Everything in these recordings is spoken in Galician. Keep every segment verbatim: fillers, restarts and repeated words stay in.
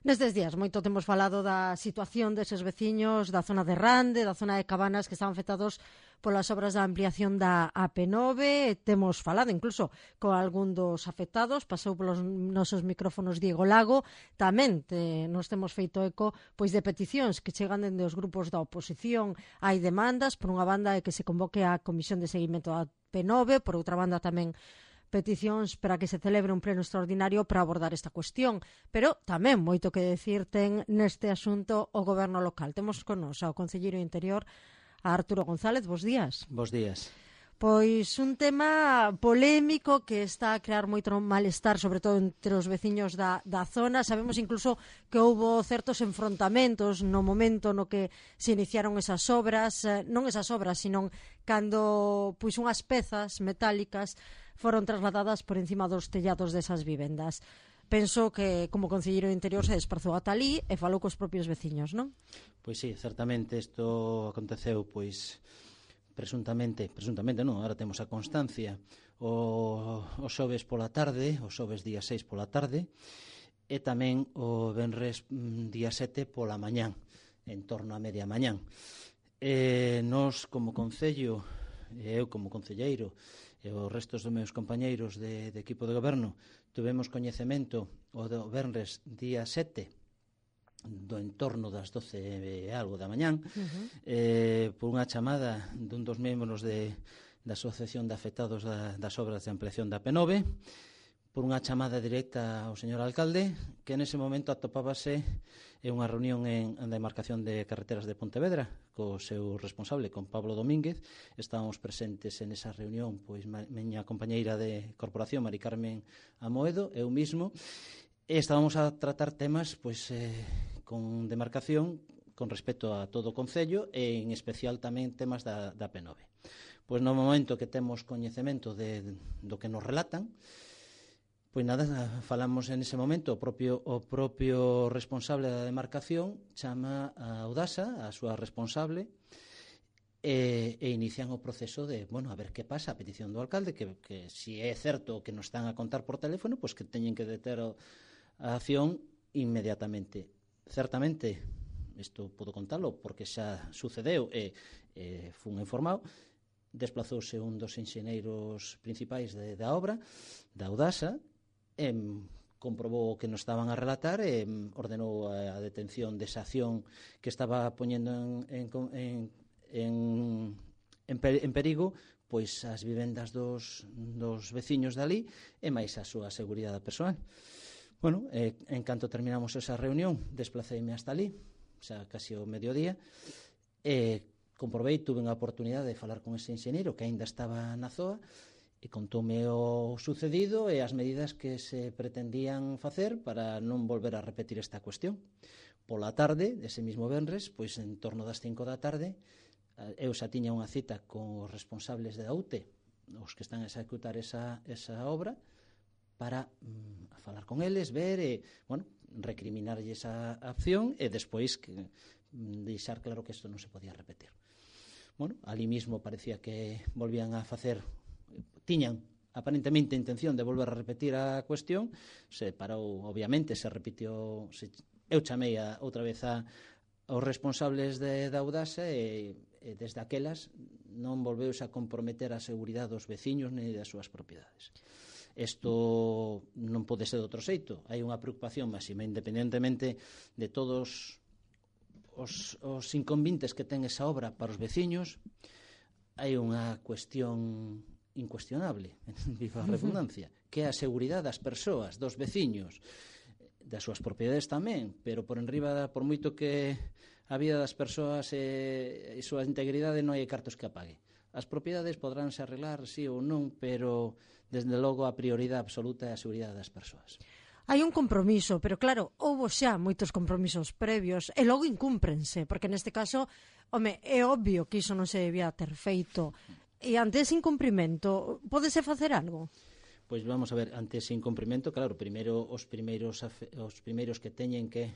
Nestes días moito temos falado da situación deses veciños da zona de Rande, da zona de Cabanas, que están afectados polas obras da ampliación da A P nove. Temos falado incluso con algún dos afectados, pasou polos nosos micrófonos Diego Lago. Tamén te, nos temos feito eco pois de peticións que chegan dende os grupos da oposición. Hai demandas, por unha banda, é que se convoque a Comisión de Seguimento da A P nove, por outra banda tamén peticións para que se celebre un pleno extraordinario para abordar esta cuestión, pero tamén moito que decir ten neste asunto o goberno local. Temos con nos ao concelleiro de Interior, a Arturo González. Bos días. Bos días. Pois un tema polémico que está a crear moito malestar, sobre todo entre os veciños da, da zona. Sabemos incluso que houbo certos enfrontamentos no momento no que se iniciaron esas obras, non esas obras, sino cando pois unhas pezas metálicas foron trasladadas por encima dos tellados desas vivendas. Penso que como concelleiro de Interior se desplazou ata ali e falou cos propios veciños, non? Pois sí, certamente isto aconteceu pois presuntamente, presuntamente non, agora temos a constancia o, o xoves pola tarde, o xoves día seis pola tarde e tamén o venres día sete pola mañán, en torno a media mañán. E nós como concello, e eu como concelleiro e os restos dos meus compañeiros de, de equipo de goberno tivemos coñecemento o do venres día sete do entorno das doce e algo da mañán, uh-huh. eh, por unha chamada dun dos membros de, da Asociación de Afectados da, das Obras de Ampliación da A P nove, por unha chamada directa ao señor alcalde, que nese momento atopábase en unha reunión en, en demarcación de carreteras de Pontevedra co seu responsable, con Pablo Domínguez. Estábamos presentes en esa reunión pois miña compañeira de corporación, Mari Carmen Amoedo, eu mismo, e estábamos a tratar temas pois eh, con demarcación con respecto a todo o concello e en especial tamén temas da, da A P nove. Pois no momento que temos coñecemento de, do que nos relatan, pois nada, falamos en ese momento, o propio, o propio responsable da demarcación chama a Audasa, a súa responsable, e, e inician o proceso de, bueno, a ver que pasa, a petición do alcalde, que, que si é certo que nos están a contar por teléfono, pois que teñen que deter o, a acción inmediatamente. Certamente, isto podo contalo porque xa sucedeu e, e fun informado, desplazouse un dos enxeneiros principais de, da obra, da Audasa, e comprobou o que nos estaban a relatar e ordenou a detención desa acción que estaba poñendo en, en, en, en, en perigo pois as vivendas dos, dos veciños dali e máis a súa seguridade persoal. Bueno, eh, en canto terminamos esa reunión, desplaceime hasta ali, xa casi o mediodía, e comprobei, tuve unha oportunidade de falar con ese enxeñeiro que aínda estaba na zoa, e contoume o sucedido e as medidas que se pretendían facer para non volver a repetir esta cuestión. Pola tarde, ese mismo venres, pois en torno das cinco da tarde, eu xa tiña unha cita con os responsables da U T E, os que están a executar esa, esa obra, para mm, falar con eles, ver e, bueno, recriminarlle esa acción e despois que, mm, deixar claro que isto non se podía repetir. Bueno, ali mismo parecía que volvían a facer, tiñan aparentemente intención de volver a repetir a cuestión, se parou, obviamente, se repitió, se, eu chamei a, outra vez a, aos responsables de, da Audasa e, e desde aquelas non volveuse a comprometer a seguridade dos veciños nem das súas propiedades. Isto non pode ser de outro xeito. Hai unha preocupación máxima, independentemente de todos os, os inconvenientes que ten esa obra para os veciños. Hai unha cuestión incuestionable, viva a redundancia, que é a seguridade das persoas, dos veciños, das súas propiedades tamén, pero por enriba, por moito que a vida das persoas e, e súa integridade non hai cartos que apague. As propiedades podránse arreglar, sí ou non, pero desde logo a prioridade absoluta é a seguridade das persoas. Hai un compromiso, pero claro, houbo xa moitos compromisos previos e logo incúmprense, porque neste caso, home, é obvio que iso non se debía ter feito. E ante ese incumprimento, pódese facer algo? Pois vamos a ver, ante ese incumprimento, claro, primeiro os primeiros os primeiros que teñen que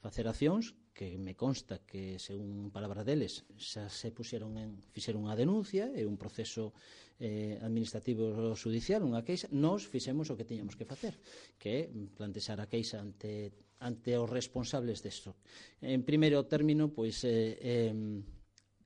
facer accións que me consta que, según palabra deles, xa se puxeron en, fixeron unha denuncia e un proceso eh, administrativo judicial, unha queixa. Nós fixemos o que tiñamos que facer, que é plantexar a queixa ante, ante os responsables desto. En primeiro término, pois, eh, eh,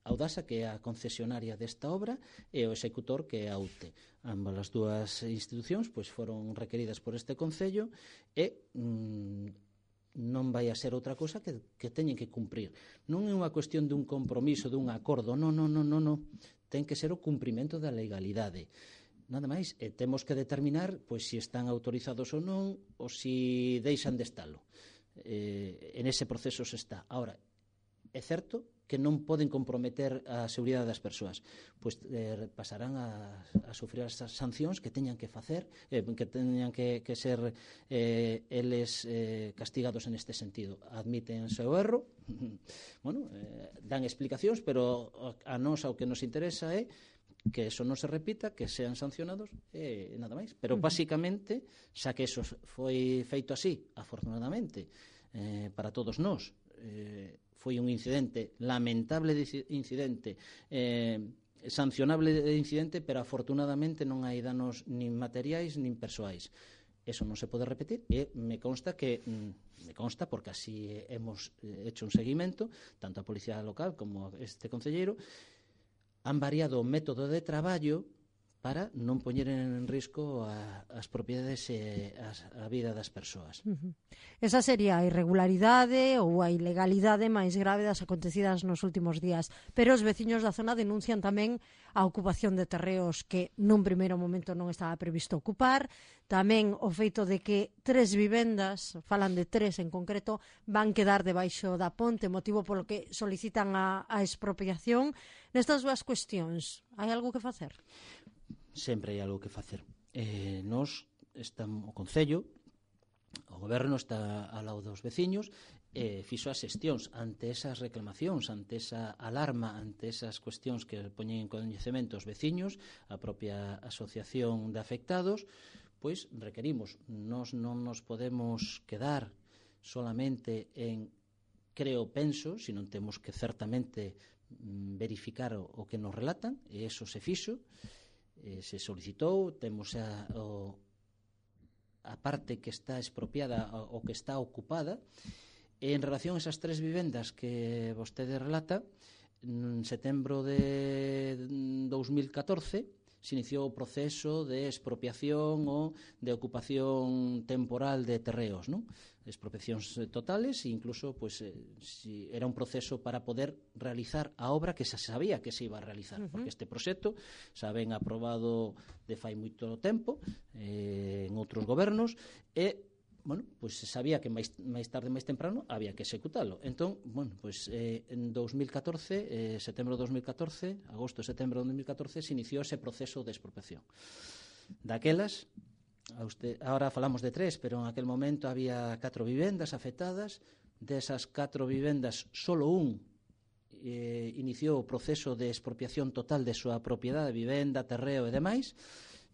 Audasa, que é a concesionaria desta obra, e o executor, que é a U T E. Ambas as dúas institucións pois, foron requeridas por este Concello e mm, non vai a ser outra cosa que, que teñen que cumprir. Non é unha cuestión dun compromiso, dun acordo, non, non, non, non, non. Ten que ser o cumprimento da legalidade. Nada máis, e temos que determinar pois, se están autorizados ou non, ou se deixan de estalo. Eh, en ese proceso se está. Ahora, é certo que non poden comprometer a seguridade das persoas, pois eh, pasarán a, a sufrir as sancións que teñan que facer, eh, que teñan que, que ser eh, eles eh, castigados en este sentido. Admiten o seu erro, bueno, eh, dan explicacións, pero a nós o que nos interesa é que eso non se repita, que sean sancionados e nada máis. Pero, basicamente, xa que eso foi feito así, afortunadamente, eh, para todos nós, eh, foi un incidente, lamentable incidente, eh, sancionable incidente, pero afortunadamente non hai danos nin materiais nin persoais. Eso non se pode repetir e me consta que me consta porque así hemos hecho un seguimento, tanto a Policía Local como este concelleiro, han variado o método de traballo para non poñer en risco a, as propiedades e as, a vida das persoas. Uh-huh. Esa sería a irregularidade ou a ilegalidade máis grave das acontecidas nos últimos días, pero os veciños da zona denuncian tamén a ocupación de terreos que nun primeiro momento non estaba previsto ocupar, tamén o feito de que tres vivendas, falan de tres en concreto, van quedar debaixo da ponte, motivo polo que solicitan a, a expropiación. Nestas dúas cuestións, hai algo que facer? Sempre hai algo que facer. Eh, nos, estamos, o Concello, o Goberno está ao lado dos veciños e eh, fixo as xestións ante esas reclamacións, ante esa alarma, ante esas cuestións que poñen en coñecemento os veciños, a propia asociación de afectados, pois requerimos. Nos non nos podemos quedar solamente en creo, penso, se non temos que certamente verificar o, o que nos relatan, e eso se fixo, eh, se solicitou, temos a, o, a parte que está expropiada o que está ocupada. E en relación a esas tres vivendas que vostede relata, en setembro de dos mil catorce se iniciou o proceso de expropiación ou de ocupación temporal de terreos, non? Expropiacións totales e incluso pues, eh, si era un proceso para poder realizar a obra que se sabía que se iba a realizar, uh-huh. porque este proxecto xa ven aprobado de fai moito tempo eh, en outros gobernos e bueno, pois se sabía que máis, máis tarde, máis temprano, había que executalo. Entón, bueno, pois eh, en dos mil catorce, eh, setembro de dos mil catorce, agosto, setembro de dos mil catorce, se iniciou ese proceso de expropiación. Daquelas, a usted, ahora falamos de tres, pero en aquel momento había catro vivendas afectadas. Desas catro vivendas, solo un eh, iniciou o proceso de expropiación total de súa propiedade, vivenda, terreo e demais.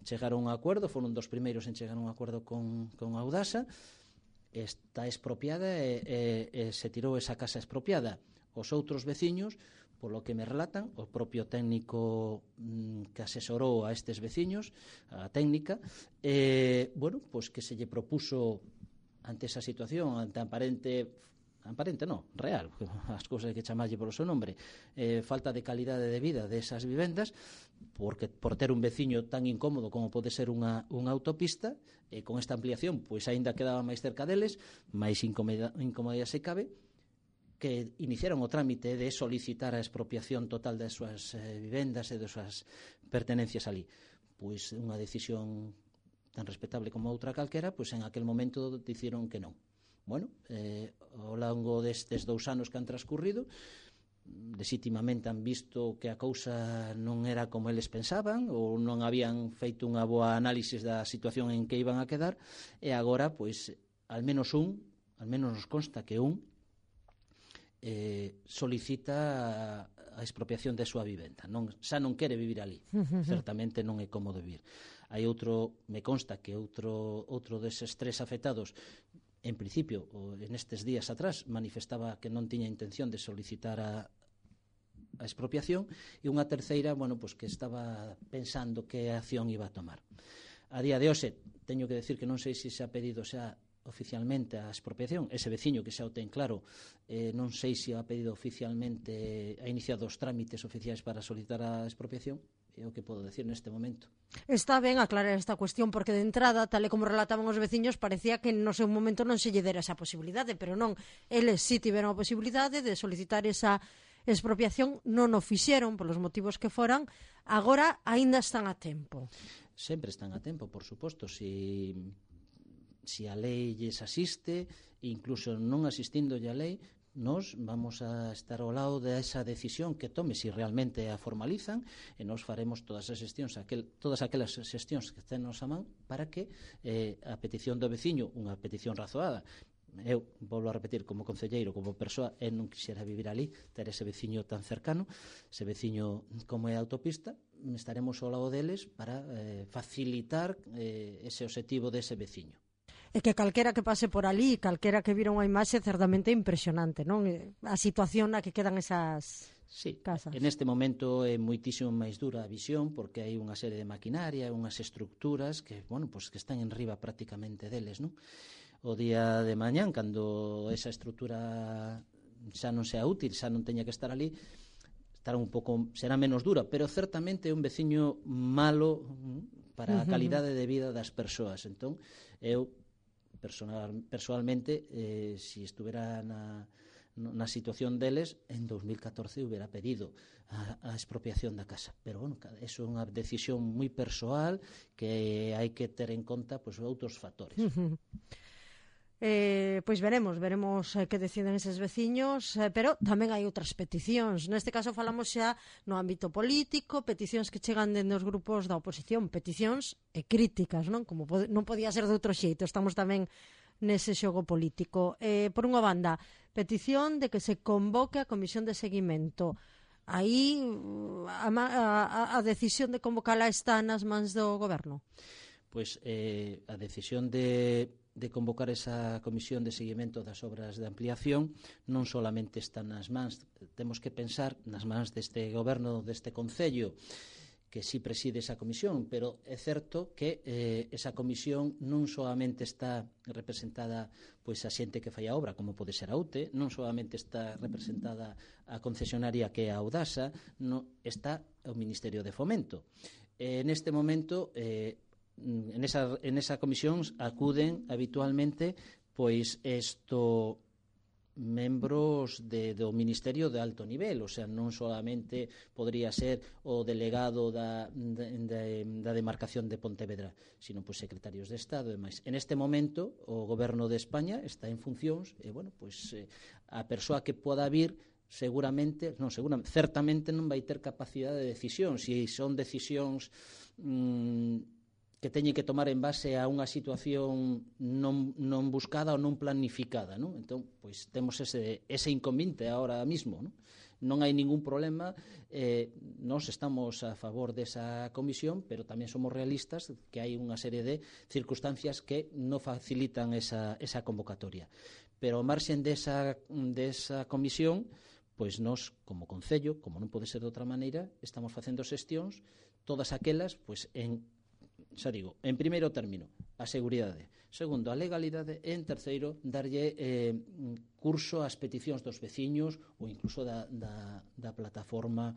Chegaron a un acordo, foron dos primeiros en chegar a un acordo con, con Audasa, está expropiada e, e, e se tirou esa casa expropiada. Os outros veciños, polo que me relatan, o propio técnico mm, que asesorou a estes veciños, a técnica, eh, bueno, pois que se lle propuso ante esa situación, ante a aparente aparente non, real, as cousas que chamarlle polo seu nombre, eh, falta de calidade de vida desas vivendas, porque por ter un veciño tan incómodo como pode ser unha, unha autopista, e con esta ampliación, pois aínda quedaba máis cerca deles, máis incomodidade se cabe, que iniciaron o trámite de solicitar a expropiación total das súas eh, vivendas e das súas pertenencias ali. Pois unha decisión tan respetable como outra calquera, pois en aquel momento diciron que non. Bueno, eh, ao longo destes dous anos que han transcurrido, legítimamente han visto que a cousa non era como eles pensaban ou non habían feito unha boa análisis da situación en que iban a quedar, e agora, pois, al menos un, al menos nos consta que un eh, solicita a expropiación de súa vivenda. Non, xa non quere vivir ali, certamente non é cómodo vivir. Hai outro, me consta que outro, outro deses tres afectados en principio, nestes días atrás, manifestaba que non tiña intención de solicitar a, a expropiación, e unha terceira, bueno, pues que estaba pensando que acción iba a tomar. A día de hoxe, teño que decir que non sei se se ha pedido xa oficialmente a expropiación. Ese veciño que xa o ten claro, eh, non sei se ha pedido oficialmente, ha iniciado os trámites oficiais para solicitar a expropiación. É o que podo decir neste momento. Está ben aclarar esta cuestión, porque de entrada, tal e como relataban os veciños, parecía que no seu momento non se lle dera esa posibilidade, pero non, eles sí tiveron a posibilidade de solicitar esa expropiación, non o fixeron polos motivos que foran, agora aínda están a tempo. Sempre están a tempo, por suposto, si, si a lei lles asiste, incluso non asistindolle a lei, nos vamos a estar ao lado desa decisión que tome, se si realmente a formalizan, e nos faremos todas as xestións, aquel, todas aquelas xestións que estén nos a man para que eh, a petición do veciño, unha petición razoada, eu volvo a repetir, como concelleiro, como persoa, eu non quixera vivir ali, ter ese veciño tan cercano, ese veciño como é a autopista, estaremos ao lado deles para eh, facilitar eh, ese objetivo dese veciño. E que calquera que pase por ali, calquera que vira unha imaxe certamente impresionante, non? A situación na que quedan esas sí, casas. En este momento é moitísimo máis dura a visión, porque hai unha serie de maquinaria, unhas estructuras que, bueno, pues que están en riba prácticamente deles, non? O día de mañán, cando esa estructura xa non sea útil, xa non teña que estar ali, estará un pouco, será menos dura, pero certamente é un veciño malo para a calidade de vida das persoas. Entón, eu personal, personalmente, eh, si estuvera na, na situación deles, en dos mil catorce hubiera pedido a, a expropiación da casa. Pero, bueno, eso é unha decisión moi persoal que hai que ter en conta pues, outros factores. Uh-huh. Eh, pois veremos, veremos eh, que deciden eses veciños, eh, pero tamén hai outras peticións. Neste caso falamos xa no ámbito político, peticións que chegan dende os grupos da oposición, peticións e críticas, non? Como pod- non podía ser de outro xeito, estamos tamén nese xogo político. Eh, por unha banda, petición de que se convoque a comisión de seguimento. Aí a, a, a decisión de convocala está nas mans do goberno? Pois eh, a decisión de de convocar esa comisión de seguimento das obras de ampliación non solamente está nas mans, temos que pensar nas mans deste goberno, deste concello, que si preside esa comisión, pero é certo que eh, esa comisión non solamente está representada pois a xente que fai a obra, como pode ser a U T E, non solamente está representada a concesionaria que é a Audasa, no, está o Ministerio de Fomento. Eh, neste momento, eh, En esa, en esa comisión acuden habitualmente pois esto membros de, do Ministerio de alto nivel, o sea, non solamente podría ser o delegado da, de, de, da demarcación de Pontevedra, sino pois secretarios de Estado e máis. En este momento o goberno de España está en funcións e, bueno, pois eh, a persoa que poda vir seguramente, non, seguramente, certamente non vai ter capacidade de decisión, se son decisións mmm, que teñen que tomar en base a unha situación non, non buscada ou non planificada, non? Entón, pois temos ese, ese inconveniente ahora mismo, non? Non hai ningún problema, eh, nós estamos a favor desa comisión, pero tamén somos realistas que hai unha serie de circunstancias que non facilitan esa, esa convocatoria. Pero ao marxen desa, desa comisión, pois nós, como concello, como non pode ser de outra maneira, estamos facendo xestións, todas aquelas, pois en xa digo, en primeiro término, a seguridade. Segundo, a legalidade. E en terceiro, darlle eh, curso ás peticións dos veciños ou incluso da, da, da plataforma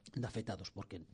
de afectados, porque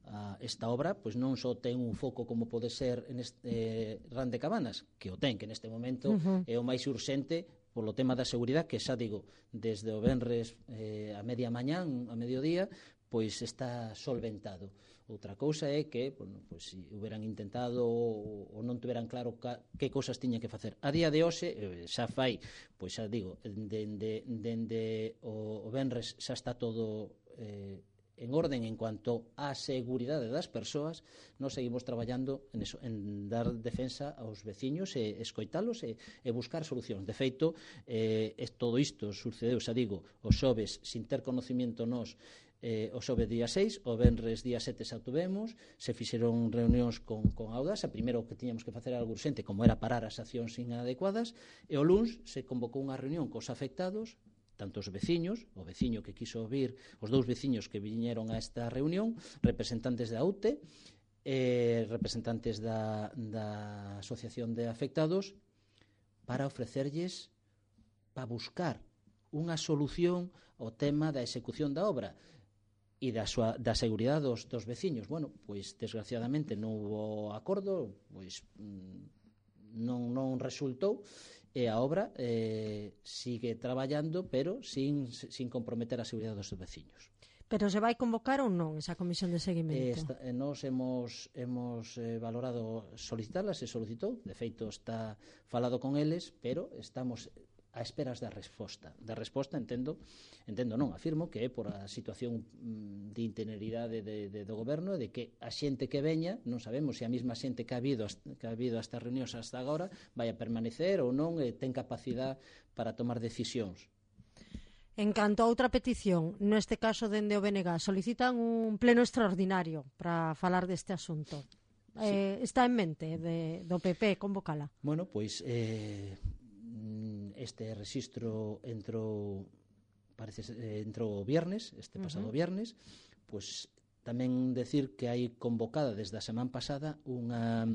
a, esta obra pois non só ten un foco como pode ser en este, eh, Ran de Cabanas, que o ten, que neste momento uh-huh. é o máis urxente polo tema da seguridade, que xa digo, desde o venres eh, a media mañán, a mediodía, pois está solventado. Outra cousa é que, bueno, pois, si hubieran intentado ou, ou non tiveran claro ca, que cousas tiñan que facer. A día de hoxe, eh, xa fai, pois xa digo, dende, dende o, o venres xa está todo eh, en orden en cuanto á seguridade das persoas. Nós seguimos traballando en, eso, en dar defensa aos veciños e escoitalos e, e buscar solucións. De feito, eh, todo isto sucedeu, xa digo, os xoves, sin ter conocimiento nós, eh, o xoves día seis, o venres día sete xa tuvemos, se fixeron reunións con, con Audasa, primeiro que tiñamos que facer algo urxente, como era parar as accións inadecuadas, e o luns se convocou unha reunión cos afectados, tanto os veciños, o veciño que quiso vir, os dous veciños que viñeron a esta reunión, representantes da U T E, eh, representantes da, da Asociación de Afectados, para ofrecerlles, para buscar unha solución ao tema da execución da obra e da, súa, da seguridade dos, dos veciños. Bueno, pois desgraciadamente non hubo acordo, pois non, non resultou, e a obra eh, sigue traballando, pero sin, sin comprometer a seguridade dos veciños. Pero se vai convocar ou non esa comisión de seguimento? Eh, esta, eh, nos hemos, hemos eh, valorado solicitarla, se solicitou, de feito está falado con eles, pero estamos a esperas da resposta. Da resposta entendo, entendo non, afirmo que é por a situación mm, de itineridade de, de, do goberno, de que a xente que veña, non sabemos se a mesma xente que ha habido, que ha habido a estas reunións hasta agora vai a permanecer ou non, e ten capacidade para tomar decisións. En canto a outra petición, neste caso dende o B N G, solicitan un pleno extraordinario para falar deste asunto. Sí. Eh, está en mente de, do P P convocala? Bueno, pois eh, este rexistro entrou, parece, eh, entrou o viernes, este pasado uh -huh. viernes, pois tamén decir que hai convocada desde a semana pasada unha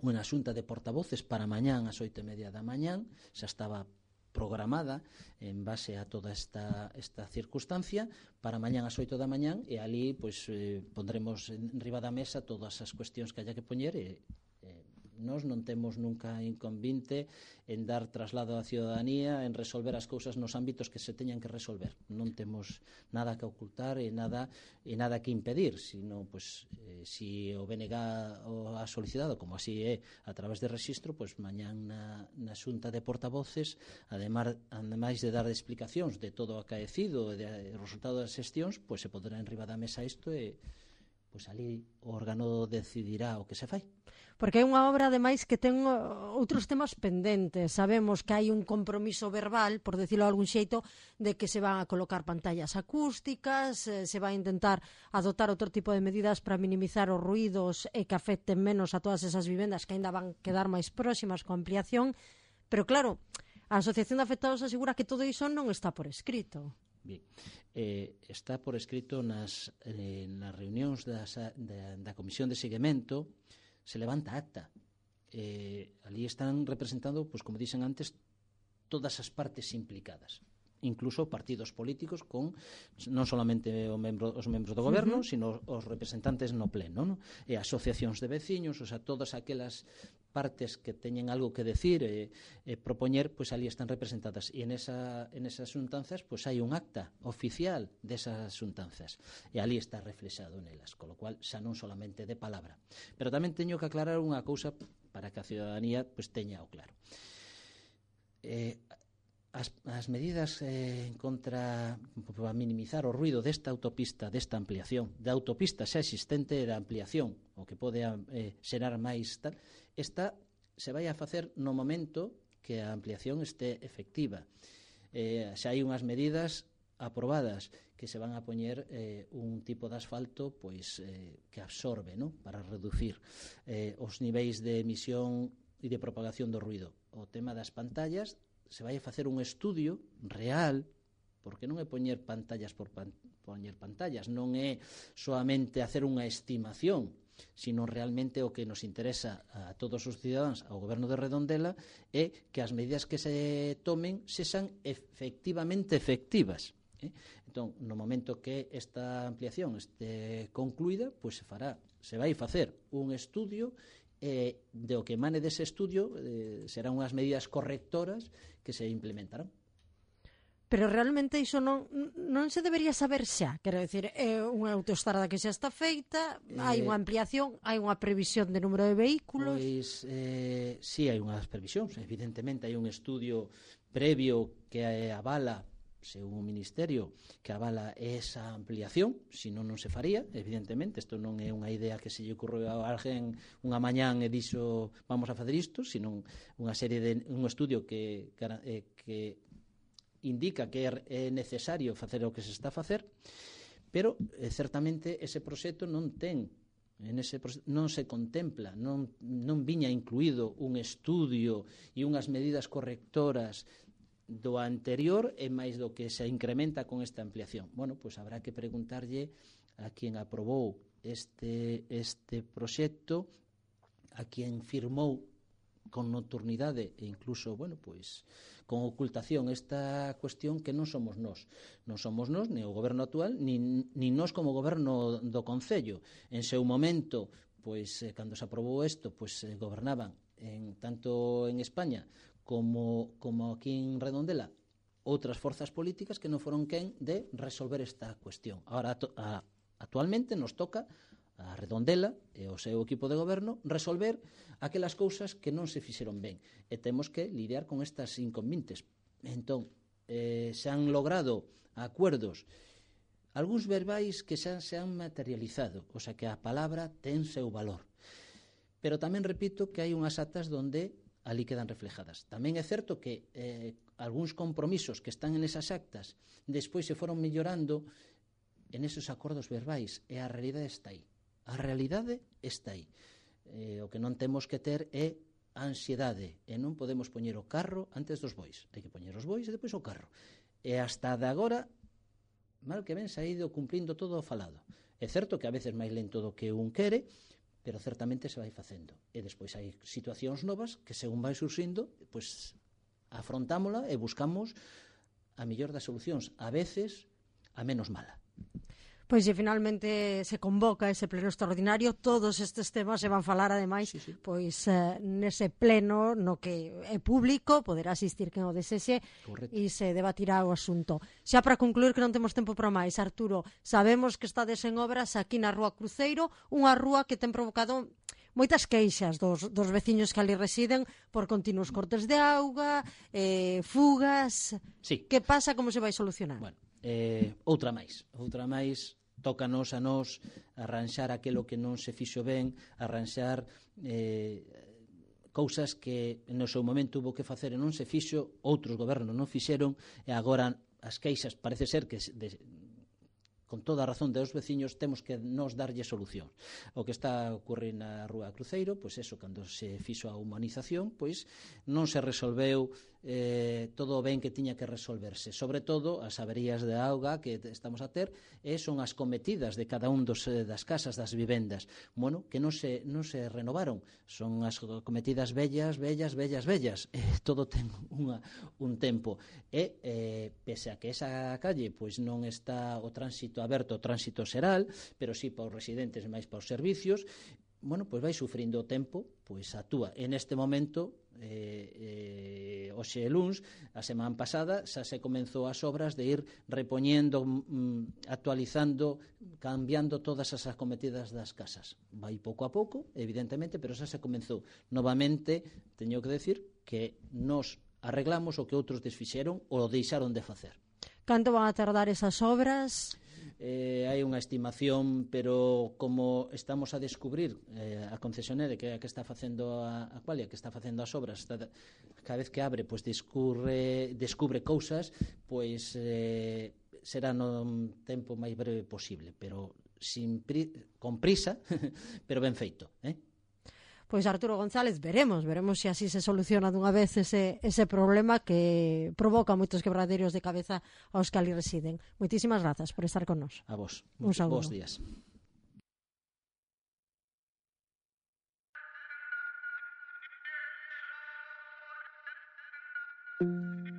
unha xunta de portavoces para mañán ás oito e media da mañán, xa estaba programada en base a toda esta, esta circunstancia para mañán ás oito da mañán, e ali pois, eh, pondremos en riba da mesa todas as cuestións que haya que poñer, e eh, nós non temos nunca inconvinte en dar traslado á ciudadanía, en resolver as cousas nos ámbitos que se teñan que resolver. Non temos nada que ocultar e nada, e nada que impedir, sino, pues, eh, si o B N G o ha solicitado, como así é, a través de rexistro, pues, mañán na, na xunta de portavoces, ademais, ademais de dar explicacións de todo o acaecido e de, de resultado das xestións, pues, se poderá en riba da mesa isto e pois ali o órgano decidirá o que se fai. Porque é unha obra, ademais, que ten outros temas pendentes. Sabemos que hai un compromiso verbal, por decirlo de algún xeito, de que se van a colocar pantallas acústicas, se vai a intentar adoptar outro tipo de medidas para minimizar os ruídos e que afecten menos a todas esas vivendas que ainda van quedar máis próximas coa ampliación. Pero claro, a Asociación de Afectados asegura que todo iso non está por escrito. Bien, eh, está por escrito nas, eh, nas reunións das, da, da Comisión de Seguimento, se levanta acta. Eh, ali están representando, pues, como dixen antes, todas as partes implicadas, incluso partidos políticos con non solamente o membro, os membros do goberno, uh -huh. sino os representantes no pleno, no? E asociacións de veciños, o sea, todas aquelas partes que teñen algo que decir e, e propoñer, pois ali están representadas, e en, esa, en esas xuntanzas pois hai un acta oficial desas xuntanzas, e ali está reflexado nelas, con lo cual xa non solamente de palabra. Pero tamén teño que aclarar unha cousa para que a ciudadanía pois teña o claro. Eh, As, as medidas eh, contra para minimizar o ruido desta autopista, desta ampliación, da autopista xa existente e da ampliación, o que pode eh, xerar máis tal, esta se vai a facer no momento que a ampliación este efectiva. Eh, xa hai unhas medidas aprobadas que se van a poñer eh, un tipo de asfalto pois eh, que absorbe, ¿no?, para reducir eh, os niveis de emisión e de propagación do ruido. O tema das pantallas, se vai a facer un estudio real, porque non é poñer pantallas por pan, poñer pantallas, non é soamente hacer unha estimación, sino realmente o que nos interesa a todos os cidadáns, ao goberno de Redondela, é que as medidas que se tomen sexan efectivamente efectivas. Eh? Entón, no momento que esta ampliación este concluída, pois se fará, se vai facer un estudio, e de o que emane dese estudio eh, serán unhas medidas correctoras que se implementarán. Pero realmente iso non, non se debería saber xa, quero dicir, é unha autoestrada que xa está feita, eh, hai unha ampliación, hai unha previsión de número de vehículos. Pois eh, si hai unhas previsións, evidentemente hai un estudio previo que avala, según o Ministerio, que avala esa ampliación, se non non se faría, evidentemente, isto non é unha idea que se lle ocurreu a alguén unha mañán e dixo vamos a facer isto, sino unha serie de un estudio que, que indica que é necesario facer o que se está a facer, pero eh, certamente ese proxecto non ten en ese non se contempla, non, non viña incluído un estudio e unhas medidas correctoras do anterior e máis do que se incrementa con esta ampliación. Bueno, pois habrá que preguntarlle a quen aprobou este, este proxecto, a quen firmou con nocturnidade e incluso, bueno, pois con ocultación esta cuestión, que non somos nós. Non somos nós, ni o goberno actual, ni, ni nós como goberno do Concello. En seu momento, pois, eh, cando se aprobou isto, pois eh, gobernaban en, tanto en España como, como aquí en Redondela outras forzas políticas que non foron quen de resolver esta cuestión. Ahora, a, actualmente, nos toca a Redondela e o seu equipo de goberno resolver aquelas cousas que non se fixeron ben, e temos que lidiar con estas inconvenientes. Entón, eh, se han logrado acuerdos, algúns verbais que xa se han materializado, o sea que a palabra ten seu valor, pero tamén repito que hai unhas actas donde ali quedan reflejadas. Tamén é certo que eh, algúns compromisos que están en esas actas despois se foron mellorando en esos acordos verbais, e a realidade está aí. A realidade está aí. Eh, o que non temos que ter é ansiedade, e non podemos poñer o carro antes dos bois. Hai que poñer os bois e depois o carro. E hasta de agora, mal que ben, se ha ido cumplindo todo o falado. É certo que a veces máis lento do que un quere, pero certamente se vai facendo. E despois hai situacións novas que, según vai surxindo, pois afrontámola e buscamos a mellor das solucións, a veces a menos mala. Pois se finalmente se convoca ese pleno extraordinario, todos estes temas se van falar ademais, sí, sí. pois eh, nese pleno no que é público, poderá asistir quen o desexe e se debatirá o asunto. Xa para concluir, que non temos tempo para máis, Arturo, sabemos que estades en obras aquí na Rúa Cruceiro, unha rúa que ten provocado moitas queixas dos, dos veciños que ali residen por continuos cortes de auga, eh, fugas. Sí. Que pasa, como se vai solucionar? Bueno, eh, outra máis, outra máis, tócanos a nós arranxar aquilo que non se fixo ben, arranxar eh, cousas que no seu momento hubo que facer e non se fixo, outros gobernos non fixeron, e agora as queixas parece ser que de, con toda a razón dos veciños temos que nos darlle solución. O que está a ocurrir na Rúa Cruceiro, pois eso, cando se fixo a humanización, pois non se resolveu eh, todo o ben que tiña que resolverse. Sobre todo, as averías de auga que estamos a ter e son as cometidas de cada un dos, das casas, das vivendas. Bueno, que non se, non se renovaron. Son as cometidas vellas, vellas, vellas, vellas. Eh, todo ten unha, un tempo. E, eh, pese a que esa calle pois non está o tránsito aberto, o tránsito xeral, pero sí para os residentes e máis para os servicios, bueno, pois vai sufrindo o tempo, pois actúa. En este momento, eh, eh, hoxe e luns, a semana pasada, xa se comenzou as obras de ir repoñendo, mm, actualizando, cambiando todas as acometidas das casas. Vai pouco a pouco, evidentemente, pero xa se comenzou. Novamente, teño que decir que nos arreglamos o que outros desfixeron ou deixaron de facer. Canto van a tardar esas obras? Eh, hai unha estimación, pero como estamos a descubrir eh, a concesionaria que, que está facendo a, a Qualia, que está facendo as obras, está, cada vez que abre, pois descubre, descubre cousas, pois eh, será no tempo máis breve posible, pero sin pri, con prisa, pero ben feito, eh? Pois Arturo González, veremos, veremos se así se soluciona dunha vez ese, ese problema que provoca moitos quebraderos de cabeza aos que ali residen. Moitísimas grazas por estar con nós. A vos. Un saúdo. Bos días. Thank you.